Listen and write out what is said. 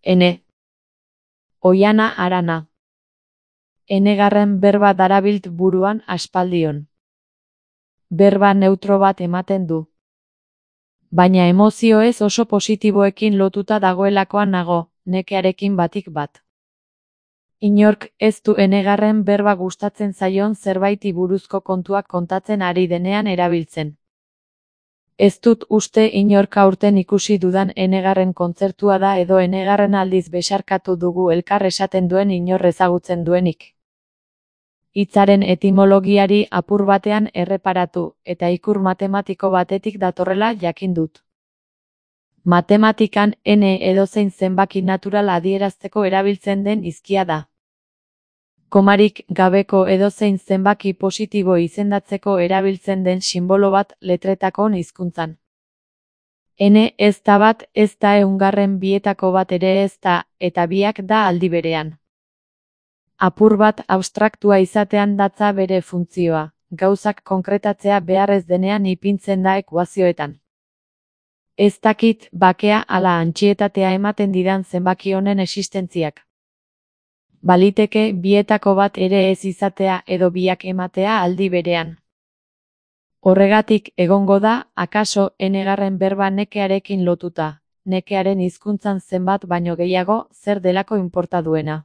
Ene. Oiana Arana. Enegarren berba darabilt buruan aspaldion. Berba neutro bat ematen du. Baina emozioez oso positiboekin lotuta dagoelakoan nago, nekearekin batik bat. Inork ez du enegarren berba gustatzen zaion zerbaiti buruzko kontuak kontatzen ari denean erabiltzen. Ez dut uste inork aurten ikusi dudan enegarren kontzertua da edo enegarren aldiz besarkatu dugu elkar esaten duen inor ezagutzen duenik. Hitzaren etimologiari apur batean erreparatu, eta ikur matematiko batetik datorrela jakin dut. Matematikan ene edozein zenbaki natural adierazteko erabiltzen den hizkia da. Komarik gabeko edozein zenbaki positibo izendatzeko erabiltzen den sinbolo bat letretakon hizkuntzan. Ene ez da bat, ez da ehungarren bietako bat ere ez da, eta biak da aldi berean. Apur bat abstraktua izatean datza bere funtzioa, gauzak konkretatzea beharrez denean ipintzen da ekuazioetan. Ez dakit bakea ala antsietatea ematen didan zenbaki honen existentziak. Baliteke bietako bat ere ez izatea edo biak ematea aldi berean. Horregatik egongo da, akaso enegarren berba nekearekin lotuta, nekearen hizkuntzan zenbat baino gehiago zer delako inporta duena.